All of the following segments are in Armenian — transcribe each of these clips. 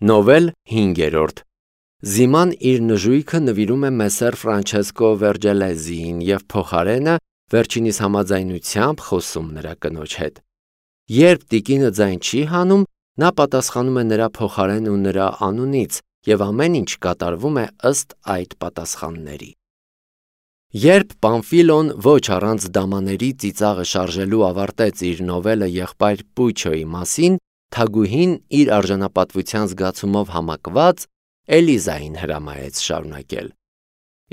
Նովել 5. Զիման իր նժույգը նվիրում է Մեսեր Ֆրանչեսկո Վերջելեզիին և փոխարենը վերջինիս համաձայնությամբ խոսում նրա կնոջ հետ։ Երբ տիկինը ձայն չի հանում, նա պատասխանում է նրա փոխարեն ու նրա անունից, և ամեն ինչ կատարվում է ըստ այդ պատասխանների։ Երբ Պամֆիլոն ոչ առանց դամաների ծիծաղը շարժելու ավարտեց իր նովելը եղբայր Պուչոյի մասին, թագուհին իր արժանապատվության զգացումով համակված Էլիզային հրամայեց շարունակել։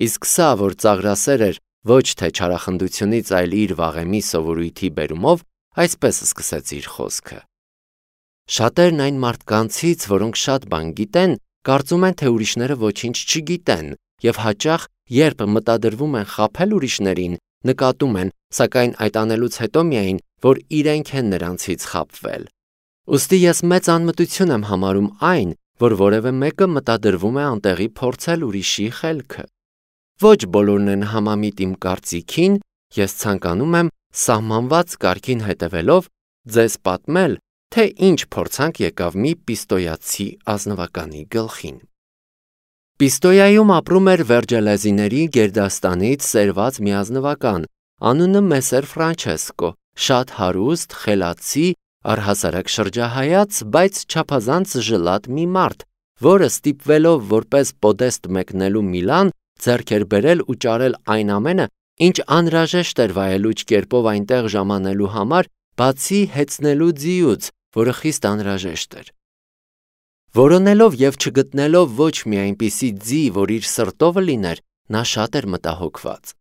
Իսկ սա, որ ծաղրասեր էր ոչ թե չարախնդությունից, այլ իր վաղեմի սովորույթի բերումով, այսպես սկսեց իր խոսքը. Շատերն այն մարդկանցից, որոնք շատ բան գիտեն, կարծում են, թե ուրիշները ոչինչ չգիտեն, և հաճախ, երբ մտադրվում են խաբել ուրիշներին, նկատում են, սակայն այդ անելուց հետո միայն, որ իրենք են նրանցից խաբվել։ Ուստի ես մեծ անմտություն եմ համարում այն, որ որևէ մեկը մտադրվում է անտեղի փորձել ուրիշի խելքը։ Ոչ բոլորն են համամիտ իմ կարծիքին, ես ցանկանում եմ սահմանված կարգին հետևելով ձեզ պատմել, թե ինչ փորձանք եկավ մի պիստոյացի ազնվականի գլխին։ Պիստոյայում ապրում էր Վերջելեզիների գերդաստանից սերված մի ազնվական, անունը Մեսեր Ֆրանչեսկո, շատ հարուստ, խելացի, առհասարակ շրջահայաց, բայց չափազանց ժլատ մի մարդ, որը ստիպվելով որպես պոդեստ մեկնելու Միլան, ձեռք էր բերել ու ճարել այն ամենը, ինչ անհրաժեշտ էր վայելուչ կերպով այնտեղ ժամանելու համար, բացի հեծնելու ձիուց, որը խիստ անհրաժեշտ էր։ Որոնելով և չգտնելով ոչ մի այնպիսի ձի, որ իր սրտովը լիներ, նա շատ էր մտահոգված։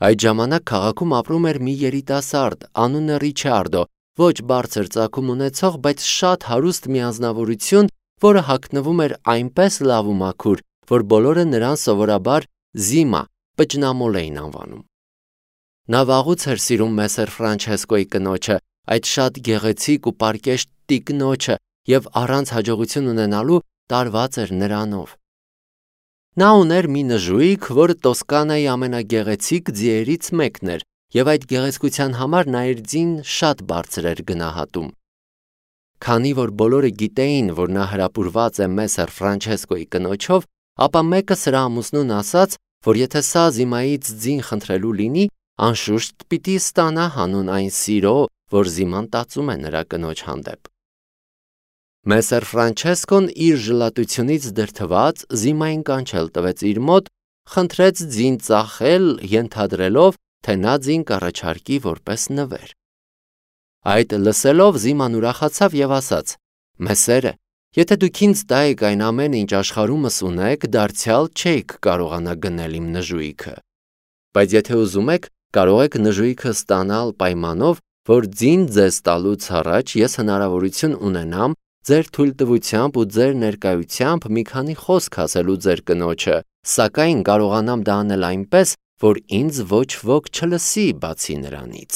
Այդ ժամանակ քաղաքում ապրում էր մի երիտասարդ, անունը Ռիչարդո, ոչ բարձր ծագում ունեցող, բայց շատ հարուստ մի անձնավորություն, որը հագնվում էր այնպես լավ ու մաքուր, որ բոլորը նրան սովորաբար Զիմա, պճնամոլ էին անվանում։ Նա վաղուց էր սիրում Մեսեր Ֆրանչեսկոյի կնոջը, այդ շատ գեղեցիկ ու պարկեշտ տիկնոջը, և առանց հաջողություն ունենալու տարված էր նրանով։ Նա ուներ մի նժույգ, որը Տոսկանայի ամենագեղեցիկ ձիերից մեկն էր, և այդ գեղեցկության համար նա իր ձին շատ բարձր էր գնահատում։ Քանի որ բոլորը գիտեին, որ նա հրապուրված է Մեսեր Ֆրանչեսկոյի կնոջով, ապա մեկը սրա ամուսնուն ասաց, որ եթե սա Զիմայից ձին խնդրելու լինի, անշուշտ պիտի ստանա հանուն այն սիրո, որ Զիման տածում է նրա կնոջ հանդեպ։ Մեսեր Ֆրանչեսկոն իր ժլատությունից դրդված Զիմային կանչել տվեց իր մոտ, խնդրեց ձին ծախել, ենթադրելով, թե նա ձին կառաջարկի որպես նվեր։ Այդ լսելով Զիման ուրախացավ և ասաց. «Մեսերը, եթե դուք ինձ տայիք այն ամենը, ինչ աշխարհումս ունեք, դարձյալ չէիք կարողանա գնել իմ նժույգը։ Բայց եթե ուզում եք, կարող եք նժույգը ստանալ պայմանով, որ ձին ձեզ տալուց առաջ ես հնարավորություն ունենամ ձեր թույլտվությամբ ու ձեր ներկայությամբ մի քանի խոսք ասելու ձեր կնոջը, սակայն կարողանամ դա անել այնպես, որ ինձ ոչ ոք չլսի բացի նրանից»։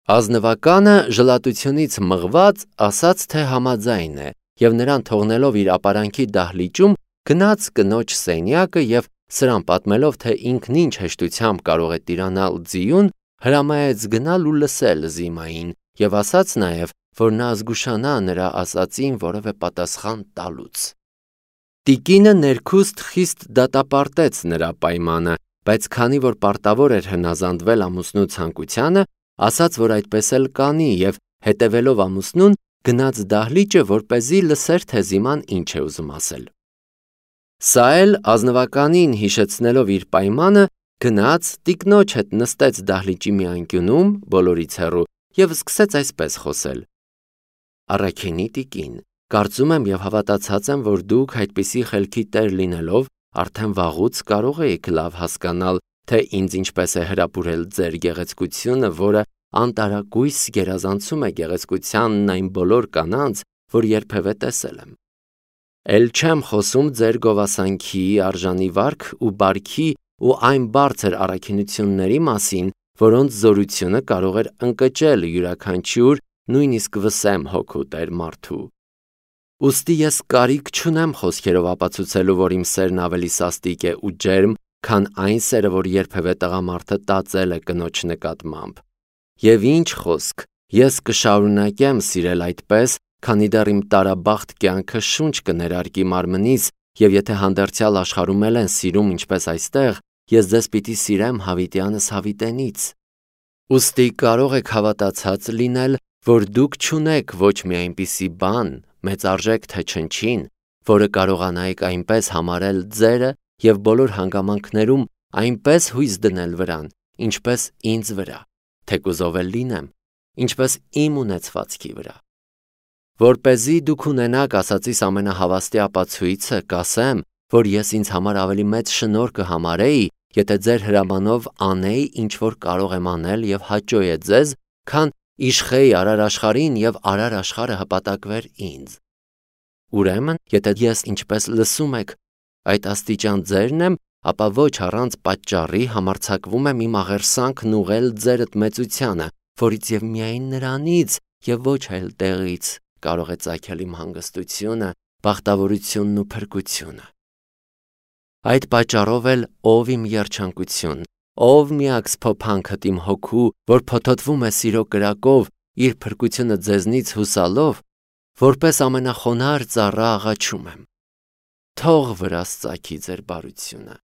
Ազնվականը ժլատությունից մղված ասաց, թե համաձայն է, և նրան թողնելով իր ապարանքի դահլիճում, գնաց կնոջ սենյակը և սրան պատմելով, թե ինքն ինչ հեշտությամբ կարող է տիրանալ ձիուն, հրամայեց գնալ ու լսել Զիմային և ասաց նաև, որ նա զգուշանա նրա ասածին որևէ պատասխան տալուց։ Տիկինը ներքուստ խիստ դատապարտեց նրա պայմանը, բայց քանի որ պարտավոր էր հնազանդվել ամուսնու ցանկությանը, ասաց, որ այդպես էլ կանի և հետևելով ամուսնուն, գնաց դահլիճը, որպեսզի լսեր, թե Զիման ինչ է ուզում ասել։ Սա էլ ազնվականին հիշեցնելով իր պայմանը, գնաց, տիկնոջ հետ նստեց դահլիճի մի անկյունում, բոլորից հեռու, և սկսեց այսպես խոսել. «Առաքինի տիկին, կարծում եմ և հավատացած եմ, որ դուք այդպիսի խելքի տեր լինելով, արդեն վաղուց կարող էիք լավ հասկանալ, թե ինձ ինչպես է հրապուրել ձեր գեղեցկությունը, որը անտարակույս գերազանցում է գեղեցկությանն այն բոլոր կանանց, որ երբևէ տեսել եմ։ Էլ չեմ խոսում ձեր գովասանքի, արժանի վարք ու բարքի ու այն բարձր առաքինությունների մասին, որոնց զորությունը կարող էր ընկճել յուրաքանչյուր, նույնիսկ վսեմ հոգու տեր մարդու։ Ուստի ես կարիք չունեմ խոսքերով ապացուցելու, որ իմ սերն ավելի սաստիկ է ու ջերմ, քան այն սերը, որ երբևէ տղամարդը տածել է կնոջ նկատմամբ։ Եվ ինչ խոսք, ես կշարունակեմ սիրել այդպես, քանի դեռ իմ տարաբախտ կյանքը շունչ կներարկի մարմնից, եւ եթե հանդերձյալ աշխարհում են սիրում ինչպես այստեղ, ես ձեզ պիտի սիրեմ հավիտյանս հավիտենից։ Ուստի կարող եք հավատացած լինել, որ դուք չունեք ոչ մի այնպիսի բան, մեծարժեք թե չնչին, որը կարողանայիք այնպես համարել ձերը եւ բոլոր հանգամանքներում այնպես հույս դնել վրան, ինչպես ինձ վրա, թեկուզ ով էլ լինեմ, ինչպես իմ ունեցվածքի վրա։ Որպեսզի դուք ունենաք ասածիս ամենահավաստի ապացույցը, կասեմ, որ ես ինձ համար ավելի մեծ շնորհ կհամարեի, եթե ձեր հրամանով անեի, ինչ որ կարող եմ անել եւ հաճո է ձեզ, քան իշխեի արար աշխարհին եւ արար աշխարհը հպատակվեր ինձ։ Ուրեմն, եթե ես ինչպես լսում եք, այդ աստիճան ձերն եմ, ապա ոչ առանց պատճառի համարձակվում եմ իմ աղերսանքն ուղղել ձերդ մեծությանը, որից եւ միայն նրանից եւ ոչ այլ տեղից կարող է ծագել իմ հանգստությունը, բախտավորությունն ու փրկությունը։ Այդ պատճառով էլ ով իմ երջանկություն, ով միակ սփոփանքդ իմ հոգու, որ փոթոթվում է սիրո կրակով, իր փրկությունը ձեզնից հուսալով, որպես ամենախոնար ծառա աղաչում եմ։ Թող վրաս ծագի ձեր բարությունը,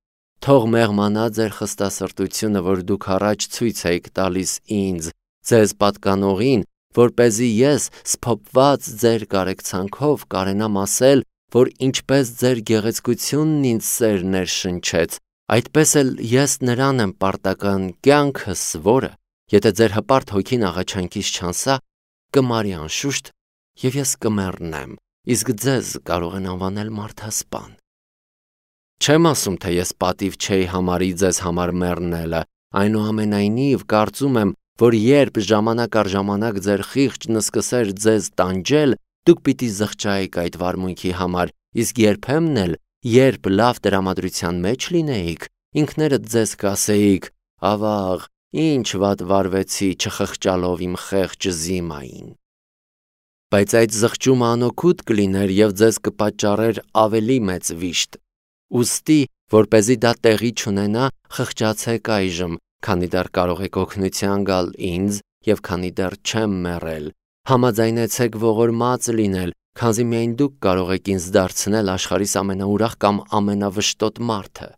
թող մեղմանա ձեր խստասրտությունը, որ դուք առաջ ցույց եք տալիս ինձ, ձեզ պատկանողին, որպեսզի ես սփոփված ձեր կարեկցանքով կարենամ ասել, որ ինչպես ձեր գեղեցկությունն ինձ սեր ներշնչեց, այդպես էլ ես նրան եմ պարտական կյանքս, որը, եթե ձեր հպարտ հոգին աղաչանքից չանսա, կմարի անշուշտ, եւ ես կմեռնեմ, իսկ ձեզ կարող են անվանել մարդասպան։ Չեմ ասում, թե ես պատիվ չէի համարի ձեզ համար մեռնելը, այնուամենայնիվ կարծում եմ, որ երբ ժամանակ առ ժամանակ ձեր խիղճն սկսեր ձեզ տանջել, դուք պիտի զղջայիք այդ վարմունքի համար, իսկ երբեմն էլ, երբ լավ տրամադրության մեջ լինեիք, ինքներդ ձեզ կասեիք. ավաղ, ինչ վատ վարվեցի, չխղճալով իմ խեղճ Զիմային։ Բայց այդ զղջումը անօգուտ կլիներ եւ ձեզ կպատճառեր ավելի մեծ վիշտ։ Ուստի, որպեսզի դա տեղի չունենա, խղճացեք այժմ, քանի դեռ կարող եք օգնության գալ ինձ եւ քանի դեռ չեմ մեռել, համաձայնեցեք ողորմած լինել, քանզի միայն դուք կարող եք ինձ դարձնել աշխարհիս ամենաուրախ կամ ամենավշտոտ մարդը։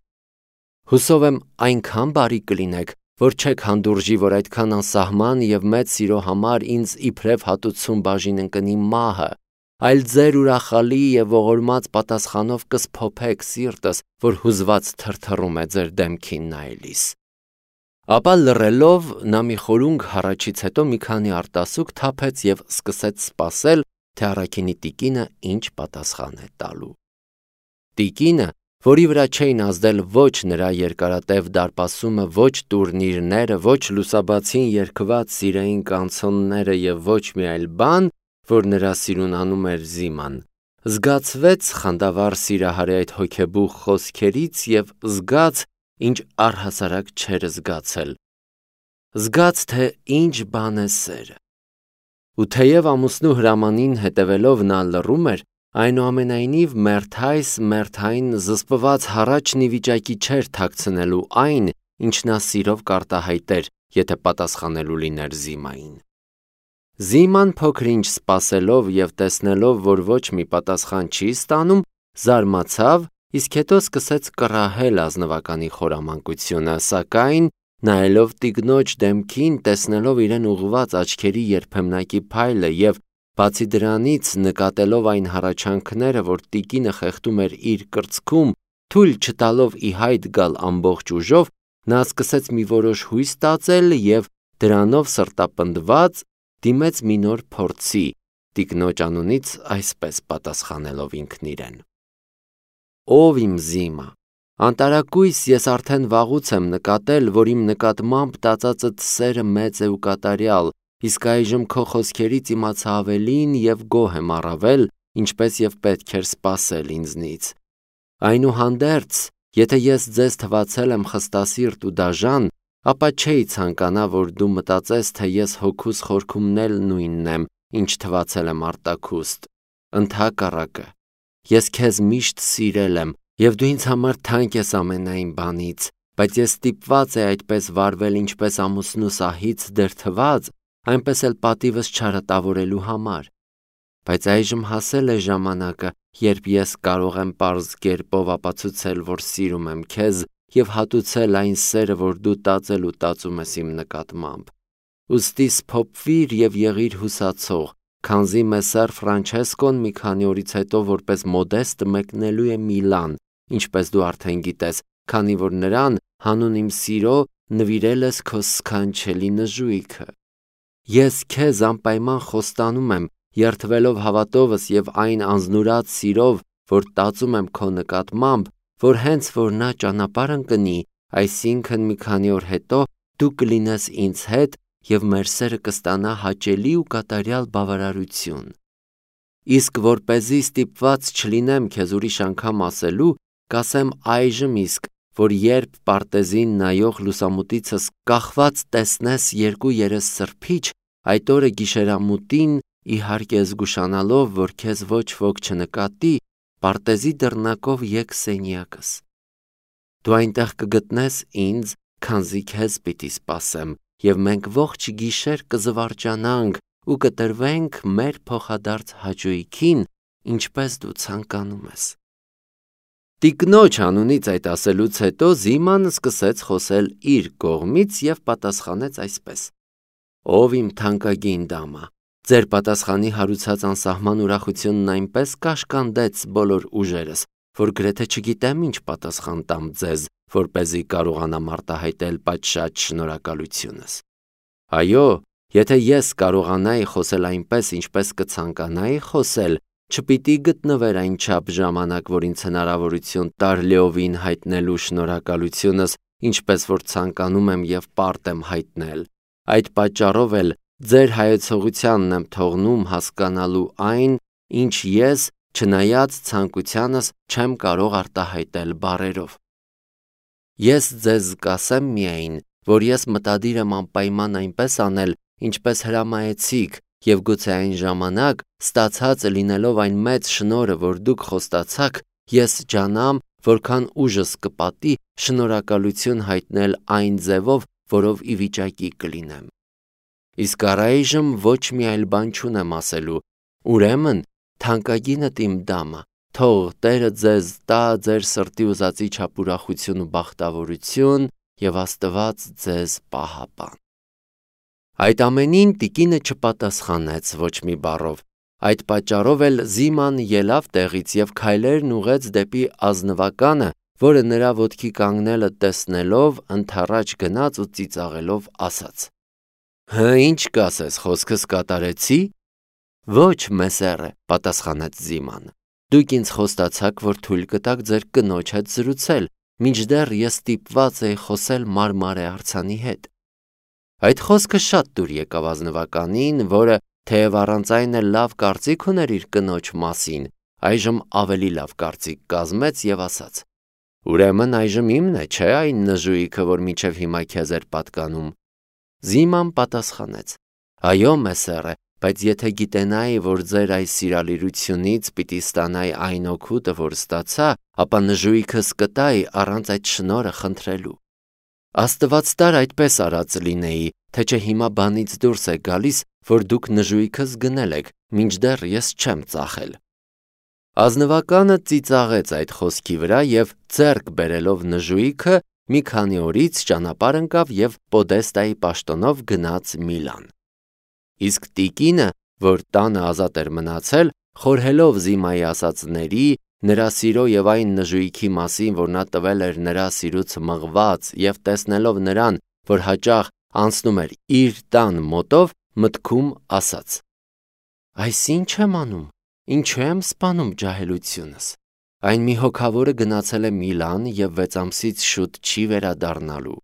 Հուսով եմ այնքան բարի կլինեք, որ չեք հանդուրժի, որ այդքան անսահման եւ մեծ սիրո համար ինձ իբրև հատուցում բաժին ընկնի մահը, այլ ձեր ուրախալի եւ ողորմած պատասխանով կսփոփեք սիրտս, որ հուզված թրթռում է ձեր դեմքին նայելիս։ Ապա լռելով նա մի խորունգ հառաչից հետո մի քանի արտասուք թափեց եւ սկսեց սպասել, թե առաքինի տիկինը ինչ պատասխան է տալու։ Տիկինը, որի վրա չէին ազդել ոչ նրա երկարատև դարպասումը, ոչ տուրնիրները, ոչ լուսաբացին երգված սիրային կանցոնները եւ ոչ մի այլ բան, որ նրա սիրուն անում էր Զիման, զգացվեց խանդավառ սիրահարի այդ հոգեբուխ խոսքերից եւ զգաց, ինչ առհասարակ չէր զգացել։ Զգաց, թե ինչ բան է սերը։ Ու թեև ամուսնու հրամանին հետևելով նա լռում էր, այնուամենայնիվ մերթային զսպված հառաչն ի վիճակի չէր թաքցնելու այն, ինչ նա սիրով կարտահայտեր, եթե պատասխանելու լիներ Զիմային։ Զիման փոքր-ինչ սպասելով եւ տեսնելով, որ ոչ մի պատասխան չի ստանում, զարմացավ, իսկ հետո սկսեց կռահել ազնվականի խորամանկությունը, սակայն նայելով տիկնոջ դեմքին, տեսնելով իրեն ուղղված աչքերի երբեմնակի փայլը եւ բացի դրանից նկատելով այն հառաչանքները, որ տիկինը խեղդում էր իր կրծքում, թույլ չտալով ի հայտ գալ ամբողջ ուժով, նա սկսեց մի որոշ հույս տածել եւ դրանով սրտապնդված դիմեց մի նոր փորձի, տիկնոջ անունից այսպես պատասխանելով ինքն իրեն. Ով իմ Զիմա, անտարակույս ես արդեն վաղուց եմ նկատել, որ իմ նկատմամբ տածածդ սերը մեծ է ու կատարյալ, իսկ այժմ քո խոսքերից իմացա ավելին եւ գոհ եմ առավել, ինչպես եւ պետք էր սպասել ինձնից։ Այնուհանդերձ, եթե ես ձեզ թվացել եմ խստասիրտ ու դաժան, ապա չէի ցանկանա, որ դու մտածես, թե ես հոգուս խորքումն էլ նույնն եմ, ինչ թվացել եմ արտաքուստ։ Ընդհակառակը, ես քեզ միշտ սիրել եմ, եւ դու ինձ համար թանկ ես ամենայն բանից, բայց ես ստիպված էի այդպես վարվել, ինչպես ամուսնու սահից դրթված, այնպես էլ պատիվս չարատավորելու համար։ բայց այժմ հասել է ժամանակը, երբ ես կարող եմ պարզ կերպով ապացուցել, որ սիրում եմ քեզ և հատուցել այն սերը, որ դու տածել ու տածում ես իմ նկատմամբ։ Ուստի սփոփվիր և եղիր հուսացող, քանզի Մեսսեր Ֆրանչեսկոն մի քանի օրից հետո որպես մոդեստ մեկնելու է Միլան, ինչպես դու արդեն գիտես, քանի որ նրան հանուն իմ սիրո նվիրել ես քո սքանչելի նժույգը։ Ես քեզ անպայման խոստանում եմ, երդվելով հավատովս և այն անձնուրաց սիրով, որ տածում եմ քո նկատմամբ, որ հենց որ նա ճանապարհ ընկնի, այսինքն մի քանի օր հետո դու կլինես ինձ հետ և մեր սերը կստանա հաճելի ու կատարյալ բավարարություն։ Իսկ որպեսզի ստիպված չլինեմ քեզ ուրիշ անգամ ասելու, կասեմ այժմ իսկ, որ երբ պարտեզին նայող լուսամուտիցս կախված տեսնես երկու երես սրբիչ, այդ օրը գիշերամուտին, իհարկե զգուշանալով, որ քեզ ոչ ոք չնկատի, պարտեզի դռնակով եկ սենյակս։ Դու այնտեղ կգտնես ինձ, քանզի քեզ պիտի սպասեմ, և մենք ողջ գիշեր կզվարճանանք ու կտրվենք մեր փոխադարձ հաճույքին, ինչպես դու ցանկանում ես։ Տիկնոջ անունից այդ ասելուց հետո Զիման սկսեց խոսել իր կողմից և պատասխանեց այսպես. Ով իմ թանկագին դամա, ձեր պատասխանի հարուցած անսահման ուրախությունն այնպես կաշկանդեց բոլոր ուժերս, որ գրեթե չգիտեմ ինչ պատասխան տամ ձեզ, որպեսզի կարողանամ արտահայտել պատշաճ շնորհակալությունս։ Այո, եթե ես կարողանայի խոսել այնպես, ինչպես կցանկանայի խոսել, չպիտի գտնվեր այնչափ ժամանակ, որ ինձ հնարավորություն տար լիովին հայտնելու շնորհակալությունս, ինչպես որ ցանկանում եմ և պարտ եմ հայտնել։ Այդ պատճառով էլ ձեր հայեցողությանն եմ թողնում հասկանալու այն, ինչ ես, չնայած ցանկությանս, չեմ կարող արտահայտել բառերով։ Ես ձեզ կասեմ միայն, որ ես մտադիր եմ անպայման այնպես անել, ինչպես հրամայեցիք, և գուցե այն ժամանակ, ստացած լինելով այն մեծ շնորհը, որ դուք խոստացաք, ես ջանամ, որքան ուժս կպատի շնորհակալություն հայտնել այն ձևով, որով ի վիճակի կլինեմ։ Իսկ առայժմ ոչ մի այլ բան չունեմ ասելու, ուրեմն թանկագինդ իմ դամա, թող Տերը ձեզ տա ձեր սրտի ուզածի չափ ուրախություն ու բախտավորություն, և Աստված ձեզ պահապան։ Այդ ամենին տիկինը չպատասխանեց ոչ մի բառով։ Այդ պատճառով էլ Զիման ելավ տեղից և քայլերն ուղղեց դեպի ազնվականը, որը նրա ոտքի կանգնելը տեսնելով ընդառաջ գնաց ու ծիծաղելով ասաց. Հը, ինչ կասես, խոսքս կատարեցի։ Ոչ, մեսերը, պատասխանեց Զիմանը։ Դուք ինձ խոստացաք, որ թույլ կտաք ձեր կնոջ հետ զրուցել, մինչդեռ ես ստիպված էի խոսել Մարմարե արձանի հետ։ Այդ խոսքը շատ դուր եկավ ազնվականին, որը թեև առանց այն էլ լավ կարծիք ուներ իր կնոջ մասին, այժմ ավելի լավ կարծիք կազմեց և ասաց. Ուրեմն այժմ իմն է, չէ՞ այն նժույգը, որ մինչև հիմա քեզ էր պատկանում։ Զիման պատասխանեց. Այո, մեսերը, բայց եթե գիտենայի, որ ձեր այս սիրալիրությունից պիտի ստանայի այն օգուտը, որ ստացա, ապա նժույգս կտայի առանց այդ շնորհը խնդրելու։ Աստված տար այդպես արած լինեի, թե չէ հիմա բանից դուրս է գալիս, որ դուք նժույգս գնել եք, մինչդեռ ես չեմ ծախել։ Ազնվականը ծիծաղեց այդ խոսքի վրա և ձեռք բերելով նժույգը մի քանի օրից ճանապարհ ընկավ և Պոդեստայի պաշտոնով գնաց Միլան։ Իսկ տիկինը, որ տանը ազատ էր մնացել, խորհելով Զիմայի ասածների, նրա սիրո և այն նժույգի մասին, որ նա տվել էր նրա սիրուց մղված և տեսնելով նրան, որ հաճախ անցնում էր իր տան մոտով, մտքում ասաց. Այս ի՞նչ եմ անում, ինչու եմ սպանում ջահելությունս։ Այն մի հոգավորը գնացել է Միլան և 6 ամսից շուտ չի վերադառնալու։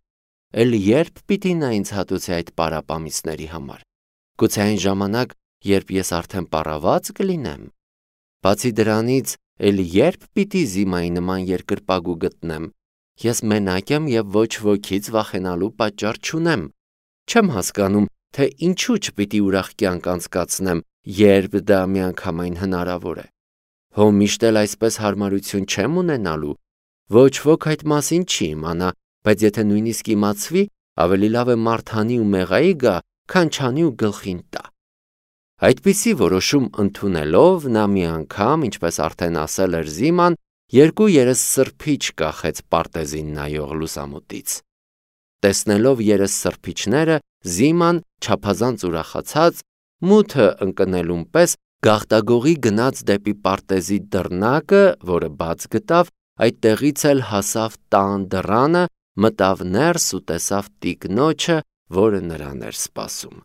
Էլ երբ պիտի նա ինձ հատուցի այդ պարապամիսների համար։ Գուցե այն ժամանակ, երբ ես արդեն պառաված կլինեմ։ Բացի դրանից, էլ երբ պիտի Զիմայի նման երկրպագու գտնեմ։ Ես մենակ եմ և ոչ ոքից վախենալու պատճառ չունեմ։ Չեմ հասկանում, թե ինչու չպիտի ուրախ կյանք անցկացնեմ, երբ դա միանգամայն հնարավոր է։ Հո միշտ էլ այսպես հարմարություն չեմ ունենալու։ Ոչ ոք այդ մասին չի իմանա, բայց եթե նույնիսկ իմացվի, ավելի լավ է մարդ հանի ու մեղայի գա, քան չանի ու գլխին տա։ Այդպիսի որոշում ընդունելով նա մի անգամ, ինչպես արդեն ասել էր Զիման, 2 երեսսրբիչ կախեց պարտեզին նայող լուսամուտից։ Տեսնելով երեսսրբիչները, Զիման չափազանց ուրախացած, մութը ընկնելուն պես գաղտագողի գնաց դեպի պարտեզի դռնակը, որը բաց գտավ, այդտեղից էլ հասավ տան դռանը, մտավ ներս ու տեսավ տիկնոջը, որը նրան էր սպասում։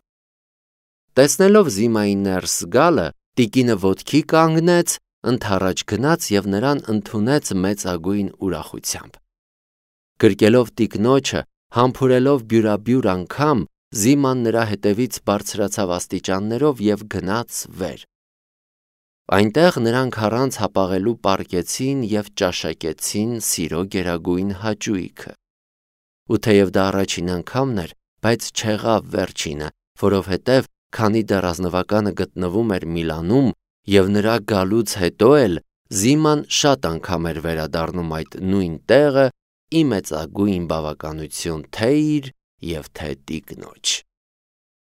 Տեսնելով Զիմայի ներս գալը, տիկինը ոտքի կանգնեց, ընդառաջ գնաց և նրան ընդունեց մեծագույն ուրախությամբ։ Գրկելով տիկնոջը, համբուրելով բյուրաբյուր անգամ, Զիման նրա հետևից բարձրացավ աստիճաններով և գնաց վեր։ Այնտեղ նրանք առանց հապաղելու պառկեցին և ճաշակեցին սիրո գերագույն հաճույքը։ Ու թեև դա առաջին անգամն էր, բայց չեղավ վերջինը, որովհետև քանի դեռ ազնվականը գտնվում էր Միլանում և նրա գալուց հետո էլ Զիման շատ անգամ էր վերադառնում այդ նույն տեղը՝ ի մեծագույն բավականություն թե՛ իր և թե՛ տիկնոջ։